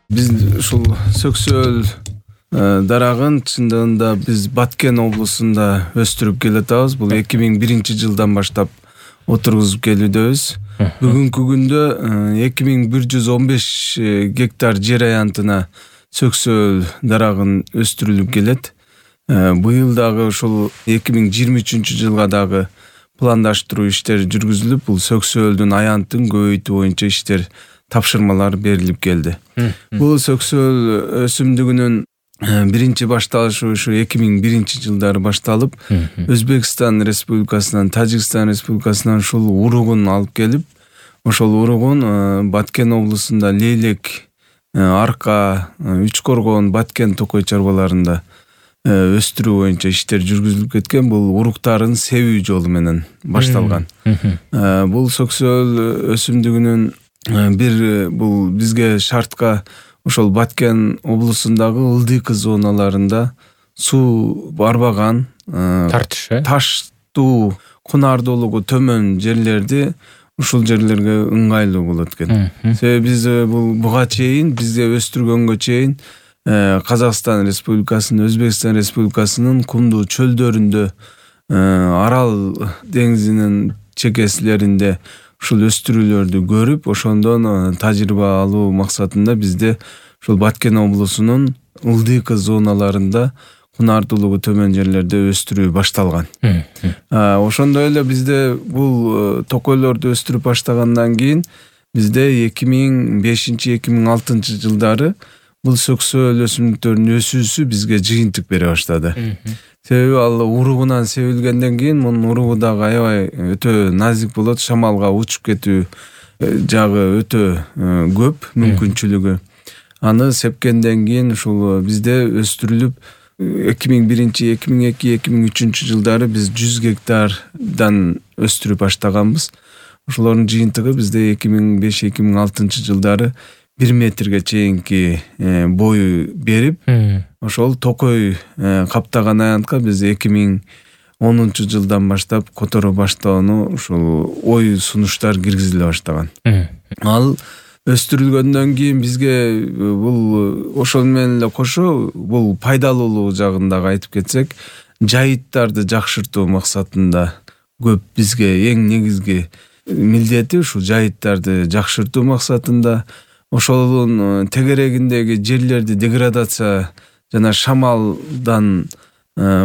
Биз ушул сөксөөл дарагын чындыгында биз Баткен облусунда өстүрүп келатабыз. Бул 2001-жылдан баштап отургузуп келүүдөбүз. Бүгүнкү күндө 2115 гектар жер аянтына сөксөөл дарагын өстүрүлүп келет. Быйыл дагы ушул 2023-жылга дагы пландаштыруу иштери жүргүзүлүп, бул сөксөөлдүн аянтын көбөйтүү боюнча иштер тапшырмалар берилип келди. Бул сөксөөл өсүмдүгүнүн биринчи башталышы ушу 2001-жылдары башталып, Өзбекстан Республикасынан, Тажикстан Республикасынан ушул уругун алып келип, ошол уругун Баткен облусунда Лейлек, Арка, Үч Коргон, Баткен токой чарбаларында өстүрүү боюнча иштер жүргүзүлүп кеткен. Бул уруктарын себүү жолу менен башталган. Бул сөксөөл өсүмдүгүнүн бул бизге шартка ошол Баткен облусундагы ылдыйкы зоналарында суу барбаган, таштуу, кунардуулугу төмөн жерлерди ушул жерлерге ыңгайлуу болот экен. Себеби биз буга чейин бизге өстүргөнгө чейин Казакстан Республикасынын, Өзбекстан Республикасынын кумдуу чөлдөрүндө, Арал деңизинин чекеселеринде ушул өстүрүүлөрдү көрүп, ошондон тажрыйба алуу максатында бизде ушул Баткен облусунун ылдыйкы зоналарында, кунардуулугу төмөн жерлерде өстүрүү башталган. Ошондой эле бизде бул токойлорду өстүрүп баштагандан кийин бизде 2005-2006 жылдары бул сөксөөл өсүмдүктөрүнүн өсүүсү бизге жыйынтык бере баштады. Себеби ал уругунан себилгенден кийин мунун уругу дагы аябай өтө назик болот, шамалга учуп кетүү жагы өтө көп мүмкүнчүлүгү. Аны сепкенден кийин ушул бизде өстүрүлүп 2001-2002-2003 жылдары биз 100 гектардан өстүрүп баштаганбыз. Ошолордун жыйынтыгы бизде 2005-2006 жылдары 1 метрге чейинки бою берип, ошол токой каптаган аянтка биз 2010 жылдан баштап которо баштоону ушул ой сунуштар киргизиле баштаган. Ал өстүрүлгөндөн кийин бизге бул ошол менен эле кошо бул пайдалуулугу жагын дагы айтып кетсек, жайыттарды жакшыртуу максатында көп бизге эң негизги милдети ушул жайыттарды жакшыртуу максатында, ошолдун тегерегиндеги жерлерди деградация жана шамалдан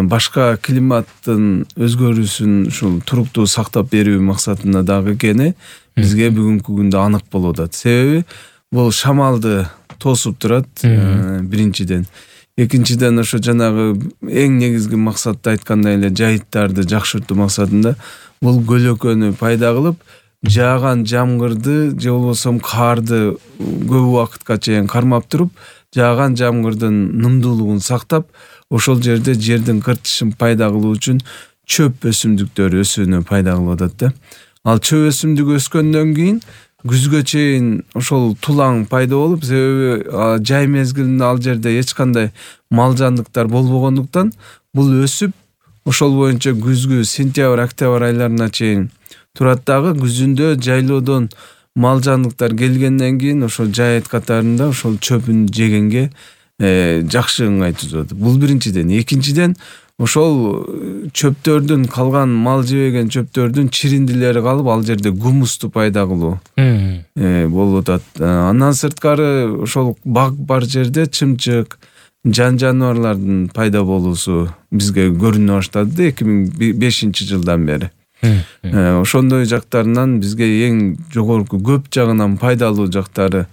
башка климаттын өзгөрүүсүн ушул туруктуу сактап берүү максатында дагы экени бизге бүгүнкү күндө анык болуп атат. Себеби бул шамалды тосуп турат, биринчиден. Экинчиден ошо жанагы эң негизги максатты айткандай эле жайыттарды жакшыртуу максатында бул көлөкөнү пайда кылып, жааган жамгырды же болбосо карды көп убакытка чейин кармап туруп, жааган жамгырдын нымдуулугун сактап, ошол жерде жердин кыртышын пайда кылуу үчүн чөп өсүмдүктөр өсүүнү пайда кылып атат да. Ал чөп өсүмдүгү өскөндөн кийин күзгө чейин ошол тулаң пайда болуп, себеби жай мезгилинде ал жерде эч кандай мал жандыктар болбогондуктан бул өсүп, ошол боюнча күзгү сентябрь-октябрь айларына чейин турат дагы. Күзүндө жайлоодон мал жандыктар келгенден кийин ошол жайыт катарында ошол чөпүн жегенге жакшы ыңгай түзүп атат. Бул биринчиден. Экинчиден, ошол чөптөрдүн калган мал жебеген чөптөрдүн чириндилери калып, ал жерде гумусту пайда кылуу болуп атат. Андан сырткары ошол баг бар жерде чымчык, жаныбарлардын пайда болуусу бизге көрүнө баштады 2005 жылдан бери. Ошондой жактарынан бизге эң жогорку көп жагынан пайдалуу жактары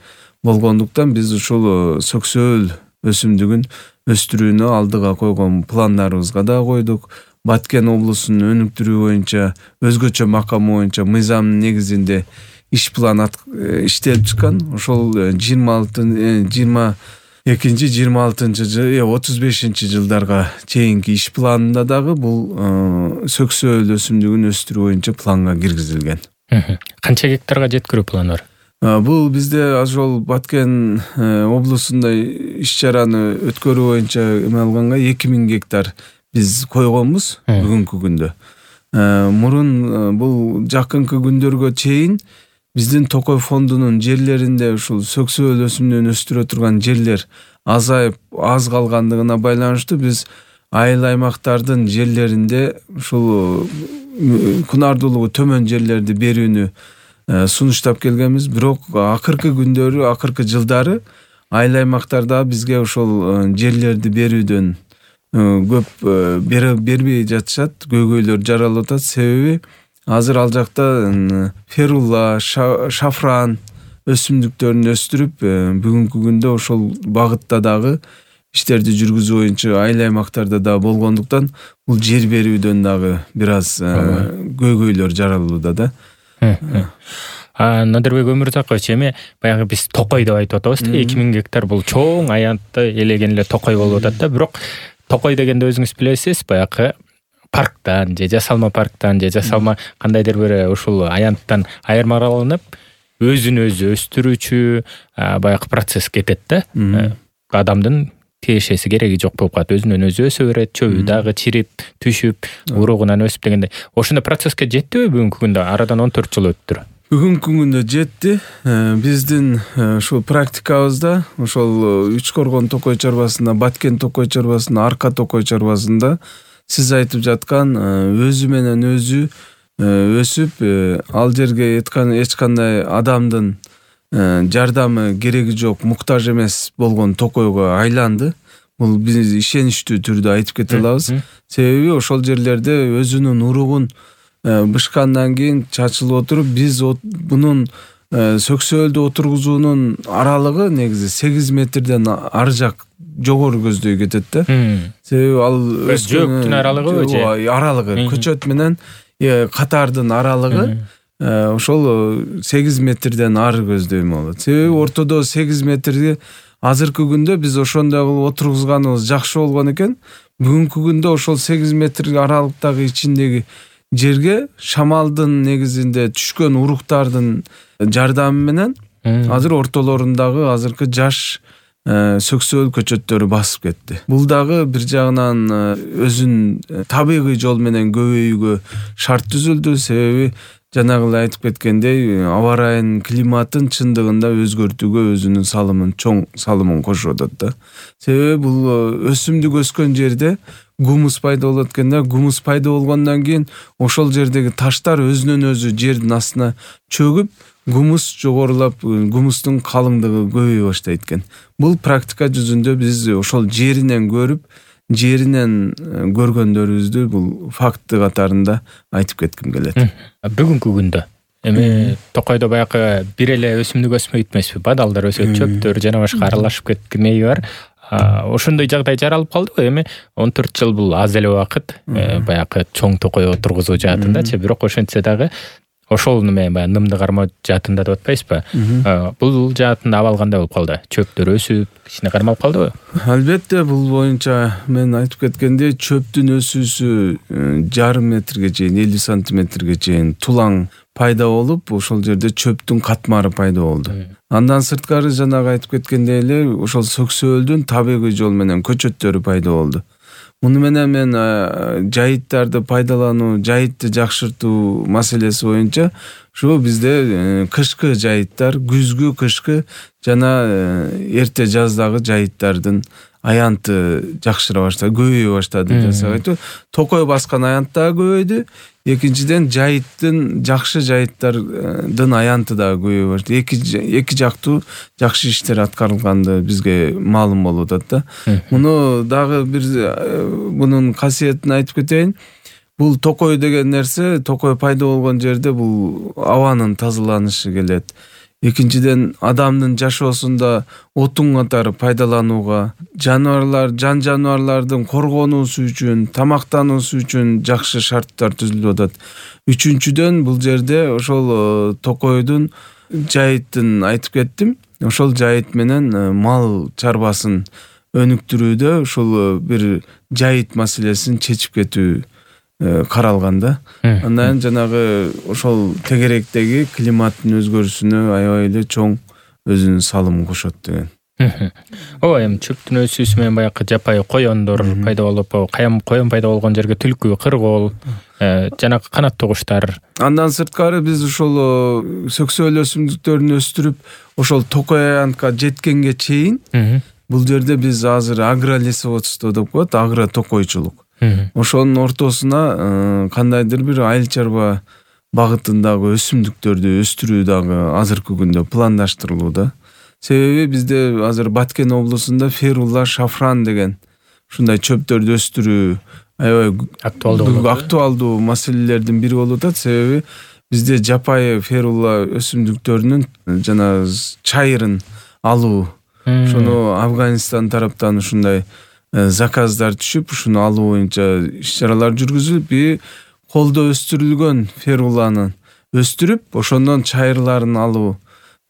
болгондуктан биз ушул сөксөөл өсүмдүгүн өстүрүүнү алдыга койгон пландарыбызга да койдук. Баткен облусунун өнүктүрүү боюнча өзгөчө макамы боюнча мыйзамдын негизинде иш план иштелип чыккан. Ошол 22-26-35 жылдарга чейинки иш планында дагы бул сөксөөл өсүмдүгүн өстүрүү боюнча планга киргизилген. Канча гектарга жеткирүү планы бар? Бул бизде ошол Баткен облусунда иш чараны өткөрүү боюнча эме алганга 2000 гектар биз койгонбуз бүгүнкү күндө. Мурун бул жакынкы күндөргө чейин биздин Токой фондунун жерлеринде ушул сөксөөл өсүмдүн өстүрө турган жерлер азайып аз калгандыгына байланыштуу биз айыл аймактардын жерлеринде ушул кунардуулугу төмөн жерлерди берүүнү сунуштап келгенбиз. Бирок акыркы күндөрү, акыркы жылдары айыл аймактарда бизге ошол жерлерди берүүдөн көп бербей жатышат, көйгөйлөр жаралып атат. Себеби азыр ал жакта ферула, шафран өсүмдүктөрүн өстүрүп, бүгүнкү күндө ошол багытта дагы иштерди жүргүзүү боюнча айыл аймактарда да болгондуктан бул жер берүүдөн дагы бир аз көйгөйлөр жаралууда да. Надырбек Өмүрзакович, эми баягы биз Токой деп айтып атабыз да, 2000 гектар бул чоң аянтты элеген эле Токой болуп атат да. Бирок Токой дегенде өзүңүз билесиз, баягы парктан же жасалма парктан же жасалма кандайдыр бир ушул аянттан айырмаланып өзүн өзү өстүрүүчү баягы процесс кетет да. Адамдын тиешеси кереги жок болуп калат. Өзүнөн өзү өсө берет, чөбү дагы чирип, түшүп, уругунан өсүп дегендей. Ошондой процесске жеттиби бүгүнкү күндө? Арадан 14 жыл өттүр. Бүгүнкү күндө жетти. Биздин ушул практикабызда ошол Үч Коргон Токой чарбасында, Баткен Токой чарбасында, Арка Токой чарбасында сиз айтып жаткан өзү менен өзү өсүп, ал жерге эч кандай адамдын жардамы кереги жок, муктаж эмес болгон Токойго айланды. Бул биз ишеничтүү түрдө айтып кете алабыз. Себеби ошол жерлерде өзүнүн уругун бышкандан кийин чачылып отуруп, биз бунун сөксөөлдү отургузуунун аралыгы негизи 8 метрден ары жак жогору көздөй кетет да. Себеби ал жөөктүн аралыгыбы же? Аралыгы, көчөт менен катардын аралыгы ошол 8 метрден ары көздөйм болот. Себеби ортодо 8 метрди азыркы күндө биз ошондой кылып отургузганыбыз жакшы болгон экен. Бүгүнкү күндө ошол 8 метр аралыктагы ичиндеги жерге шамалдын негизинде түшкөн уруктардын жардамы менен азыр ортолорундагы азыркы жаш сөксөөл көчөттөрү басып кетти. Бул дагы бир жагынан өзүн табигый жол менен көбөйүүгө шарт түзүлдү. Себеби жанагы эле айтып кеткендей, аба ырайынын климатын чындыгында өзгөртүүгө өзүнүн салымын, чоң салымын кошуп атат да. Себеби бул өсүмдүк өскөн жерде гумус пайда болот экен да. Гумус пайда болгондон кийин ошол жердеги таштар өзүнөн өзү жердин астына чөгүп, гумус жогорулап, гумустун калыңдыгы көбөйө баштайт экен. Бул практика жүзүндө биз ошол жеринен көрүп, жеринен көргөндөрүбүздү бул факты катарында айтып кетким келет. Бүгүнкү күндө эми Токойдо баягы бир эле өсүмдүк өсмөйт эмеспи? Бадалдар өсөт, чөптөр жана башка аралашып кеткенеи бар. Ошондой жагдай жаралып калдыбы? Эми 14 жыл бул аз эле убакыт, баягы чоң Токой отургузуу жаатындачы, бирок ошентсе дагы ошол неме баягы нымды кармоо жаатында деп атпайсызбы? Бул жаатында абал кандай болуп калды? Чөптөр өсүп, кичине кармалып калдыбы? Албетте, бул боюнча мен айтып кеткендей, чөптүн өсүүсү жарым метрге чейин, 50 сантиметрге чейин тулаң пайда болуп, ошол жерде чөптүн катмары пайда болду. Андан сырткары жанагы айтып кеткендей эле ошол сөксөөлдүн табигый жол менен көчөттөрү пайда болду. Муну менен мен жайыттарды пайдалануу, жайытты жакшыртуу маселеси боюнча ушу бизде кышкы жайыттар, күзгү, кышкы жана эрте жаздагы жайыттардын аянты жакшыра баштады, көбөйө баштады десек айтуу. Токой баскан аянт да көбөйдү. Экинчиден жайыттын, жакшы жайыттардын аянты да көбөйө баштады. Эки жактуу жакшы иштер аткарылганды бизге маалым болуп атат да. Муну дагы бир бунун касиетин айтып кетейин. Бул Токой деген нерсе, Токой пайда болгон жерде бул абанын тазаланышы келет. Экинчиден адамдын жашоосунда отун катары пайдаланууга, жан жаныбарлардын коргонуусу үчүн, тамактануусу үчүн жакшы шарттар түзүлүп атат. Үчүнчүдөн бул жерде ошол Токойдун жайыттын айтып кеттим. Ошол жайыт менен мал чарбасын өнүктүрүүдө ушул бир жайыт маселесин чечип кетүү каралган да. Андан жанагы ошол тегеректеги климаттын өзгөрүүсүнө аябай эле чоң өзүнүн салымын кошот деген. Ооба, эми чөптүн өсүүсү менен баягы жапайы коёндор пайда болуп, коён пайда болгон жерге түлкү, кыргоол, жанагы канаттуу куштар. Андан сырткары биз ошол сөксөөл өсүмдүктөрүн өстүрүп, ошол токой аянтка жеткенге чейин бул жерде биз азыр агролесоводство деп коет, агро токойчулук. Ошонун ортосуна кандайдыр бир айыл чарба багытындагы өсүмдүктөрдү өстүрүү дагы азыркы күндө пландаштырылууда. Себеби бизде азыр Баткен облусунда ферула, шафран деген ушундай чөптөрдү өстүрүү аябай актуалдуу маселелердин бири болуп атат. Себеби бизде жапайы ферула өсүмдүктөрүнүн жана чайырын алуу, ошону Афганистан тараптан ушундай заказдар түшүп, ушуну алуу боюнча иш-чаралар жүргүзүлүп, колдо өстүрүлгөн феруланы өстүрүп, ошондон чайырларын алуу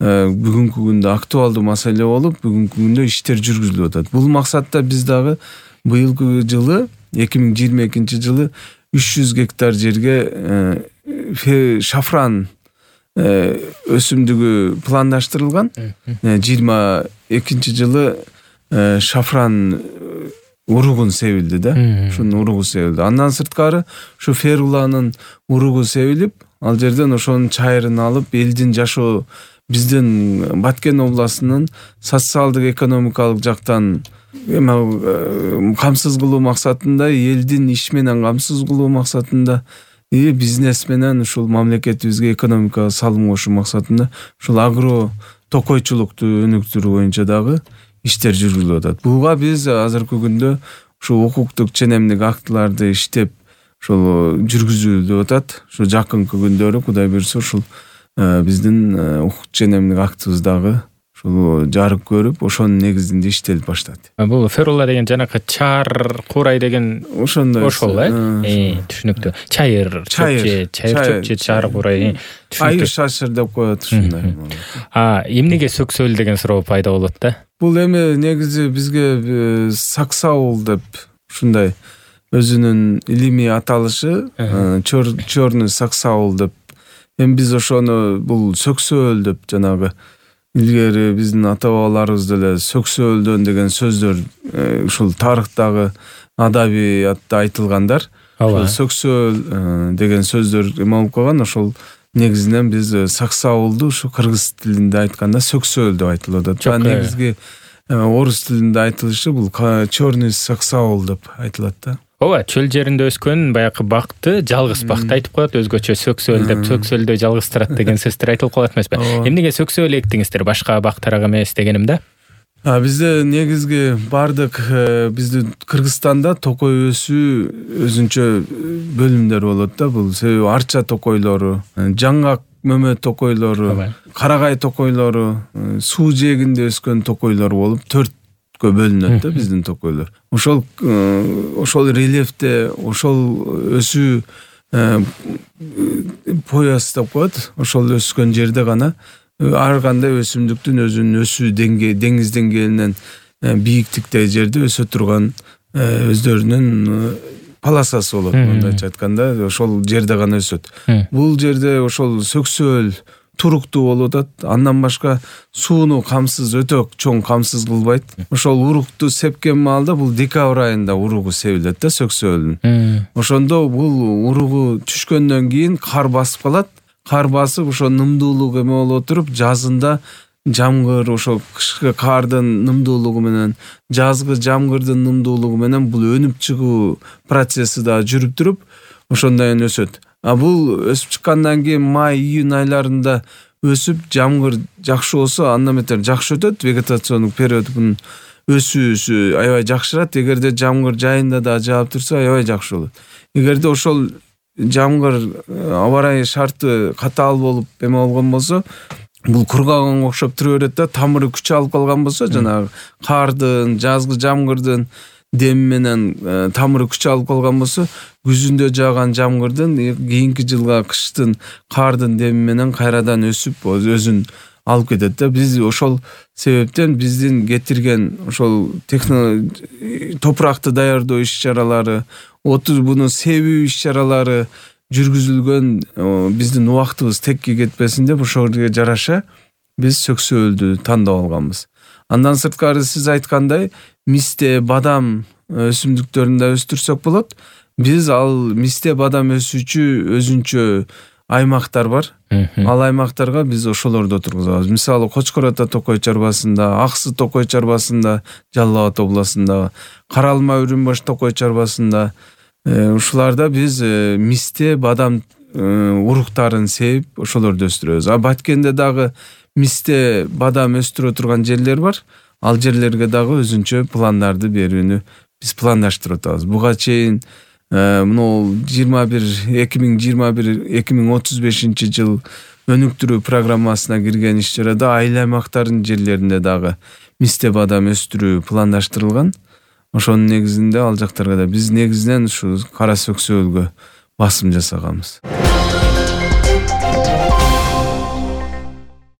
бүгүнкү күндө актуалдуу маселе болуп, бүгүнкү күндө иштер жүргүзүлүп атат. Бул максатта биз дагы быйылкы жылы 2022 жылы 300 гектар жерге шафран өсүмдүгү пландаштырылган. 22 жылы шафран уругун себилди да. Ушунун уругу себилди. Андан сырткары ушу феруланын уругу себилип, ал жерден ошонун чайырын алып, элдин жашоо, биздин Баткен областынын социалдык экономикалык жактан камсыз кылуу максатында, элдин иш менен камсыз кылуу максатында, бизнес менен ушул мамлекетибизге экономикага салым кошуу максатында ушул агро токойчулукту өнүктүрүү боюнча дагы иштер жүргүзүлүп атат. Буга биз азыркы күндө ушул укуктук ченемдик актыларды иштеп ушул жүргүзүлүп атат. Ушу жакынкы күндөрү Кудай буйрса ушул биздин укук ченемдик актыбыз дагы ушул жарык көрүп, ошонун негизинде иштелип баштады. Бул ферула деген жанакы чаар курай деген ошондой. Ошол түшүнүктүү. Чайыр чөп, чаар курай. Айыр шашыр деп коет ушундай. Эмнеге сөксөөл деген суроо пайда болот да? Бул эми негизи бизге саксаул деп ушундай өзүнүн илимий аталышы, чёрный саксаул деп. Эми биз ошону бул сөксөөл деп жанагы илгери биздин ата бабаларыбыз деле сөксөөлдөн деген сөздөр ушул тарыхтагы адабиятта айтылгандар. Ошол сөксөөл деген сөздөр эме болуп калган. Ошол негизинен биз саксаулду ушу кыргыз тилинде айтканда сөксөөл деп айтылып атат. Негизги орус тилинде айтылышы бул чёрный саксаул деп айтылат да. Ооба, чөл жеринде өскөн баягы бакты жалгыз бакты айтып коет, өзгөчө сөксөөл деп, сөксөөлдө жалгыз турат деген сөздөр айтылып калат эмеспи? Эмнеге сөксөөл эктиңиздер, башка бактарга эмес дегеним да? Бизде негизги бардык биздин Кыргызстанда токой өсүү өзүнчө бөлүмдөр болот да. Бул себеби арча токойлору, жаңгак мөмө токойлору, карагай токойлору, суу жээгинде өскөн токойлор болуп 4 бөлүнөт да биздин токойлор. Ошол рельефте, ошол өсүү пояс деп коет. Ошол өскөн жерде гана ар кандай өсүмдүктүн өзүнүн өсүү деңгээли, деңиз деңгээлинен бийиктикте жерде өсө турган өздөрүнүн полосасы болот. Мындайча айтканда, ошол жерде гана өсөт. Бул жерде ошол сөксөөл туруктуу болуп атат. Андан башка сууну камсыз, өтө чоң камсыз кылбайт. Ошол урукту сепкен маалда бул декабрь айында уругу себилет да сөксөөлдүн. Ошондо бул уругу түшкөндөн кийин кар басып калат. Кар басып ошо нымдуулук эме болуп туруп, жазында жамгыр, ошол кышкы кардын нымдуулугу менен, жазгы жамгырдын нымдуулугу менен бул өнүп чыгуу процесси да жүрүп туруп, ошондон өсөт. Бул өсүп чыккандан кийин май-июнь айларында өсүп, жамгыр жакшы болсо андан бетер жакшы өтөт. Вегетациондук период бунун өсүүсү аябай жакшырат. Эгерде жамгыр жайында да жаап турса, аябай жакшы болот. Эгерде ошол жамгыр аба ырайы шарты катаал болуп эме болгон болсо, бул кургаганга окшоп тура берет да, тамыры күч алып калган болсо, жанагы кардын, жазгы жамгырдын дем менен тамыры күч алып калган болсо, күзүндө жааган жамгырдын кийинки жылга кыштын кардын деми менен кайрадан өсүп өзүн алып кетет да. Биз ошол себептен биздин кетирген ошол топуракты даярдоо иш-чаралары, буну себүү иш-чаралары жүргүзүлгөн биздин убактыбыз текке кетпесин деп ошого жараша биз сөксөөлдү тандап алганбыз. Андан сырткары сиз айткандай мисте, бадам өсүмдүктөрүн да өстүрсөк болот. Биз ал мисте, бадам өсүүчү өзүнчө аймактар бар. Ал аймактарга биз ошолорду отургузабыз. Мисалы Кочкор Ата Токой чарбасында, Аксы Токой чарбасында, Жалал Абад областында, Кара Алма Үрүмбаш Токой чарбасында ушуларда биз мисте, бадам уруктарын сээп ошолорду өстүрөбүз. А Баткенде дагы мисте, бадам өстүрө турган жерлер бар. Ал жерлерге дагы өзүнчө пландарды берүүнү биз пландаштырып атабыз. Буга чейин мына 2021-2035 жыл өнүктүрүү программасына кирген иш чарада айыл аймактардын жерлеринде дагы мисте, бадам өстүрүү пландаштырылган. Ошонун негизинде ал жактарга да биз негизинен ушу кара сөксөөлгө басым жасаганбыз.